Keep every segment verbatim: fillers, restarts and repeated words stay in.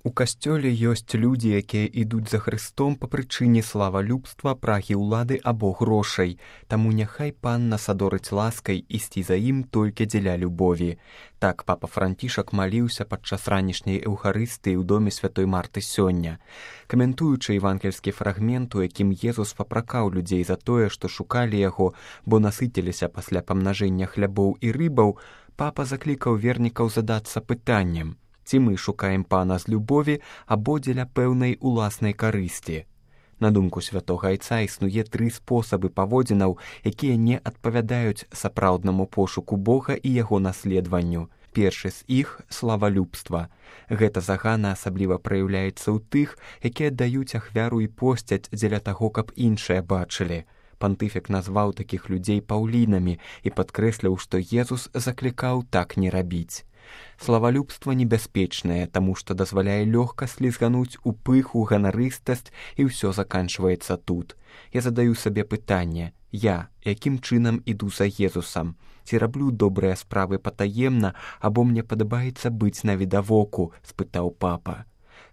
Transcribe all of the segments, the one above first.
У касцёле ёсць людзі, якія ідуць за Хрыстом па прычыне славалюбства, прагі ўлады або грошай. Таму няхай пан нас адорыць ласкай ісці за ім толькі дзеля любові. Так папа Францішак маліўся падчас ранішняй эўхарыстыі ў доме святой Марты сёння. Каментуючы евангельскі фрагмент, у якім Езус папракаў людзей за тое, што шукалі яго, бо насыціліся пасля памнажэння хлябоў і рыбаў, папа заклікаў вернікаў задацца пытаннем: ці мы шукаем пана з любові або дзеля пэўнай уласнай карысці. На думку святога айца існуе тры спосабы паводзінаў, якія не адпавядаюць сапраўднаму пошуку Бога і яго наследаванню. Першы з іх – славалюбства. Гэта загана асабліва праяўляецца ў тых, якія даюць ахвяру і посцяць дзеля таго, каб іншыя бачылі. Пантыфік назваў такіх людзей паўлінамі і падкрэсліў, што Езус заклікаў так не рабіць. Славалюбства небяспечнае, таму што дазваляе лёгка слізгануць у пыху, ганарыстасць, і ўсё заканчваецца тут. Я задаю сабе пытанне: я якім чынам іду за Езусам? Ці раблю добрыя справы патаемна, або мне падабаецца быць навідавоку? — спытаў папа.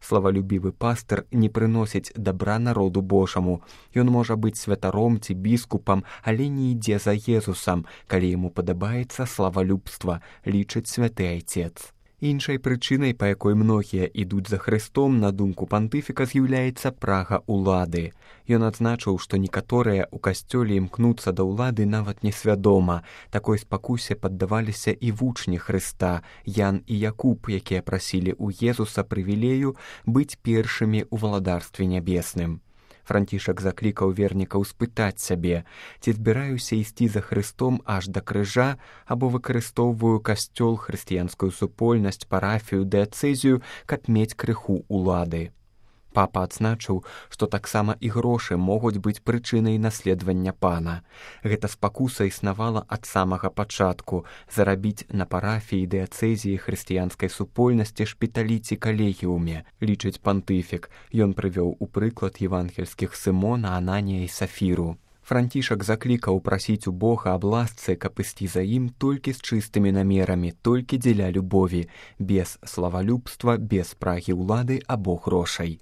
Славалюбівы пастыр не прыносіць дабра народу Божаму. Ён можа быць святаром ці біскупам, але не ідзе за Езусам, калі яму падабаецца славалюбства, лічыць святы айцец. Іншай прычынай, па якой многія ідуць за Хрыстом, на думку пантыфіка, з'яўляецца прага ўлады. Ён адзначыў, што некаторыя ў касцёле імкнуцца да ўлады нават несвядома. Такой спакусе паддаваліся і вучні Хрыста, Ян і Якуб, якія прасілі ў Езуса прывілею быць першымі ў валадарстве нябесным. Францішак заклікаў вернікаў спытаць сябе: ці збіраюся ісці за Хрыстом аж да крыжа, або выкарыстоўваю касцёл, хрысціянскую супольнасць, парафію, дыяцэзію, каб мець крыху ўлады. Папа адзначыў, што таксама і грошы могуць быць прычынай наследавання пана. Гэта спакуса існавала ад самага пачатку — зарабіць на парафіі, дыяцэзіі, хрысціянскай супольнасці, шпіталі ці калегіуме, лічыць пантыфік. Ён прывёў у прыклад евангельскіх Сымона, Ананія і Сафіру. Францішак заклікаў прасіць у Бога аб ласцы, каб ісці за ім толькі з чыстымі намерамі, толькі дзеля любові, без славалюбства, без прагі ўлады або грошай.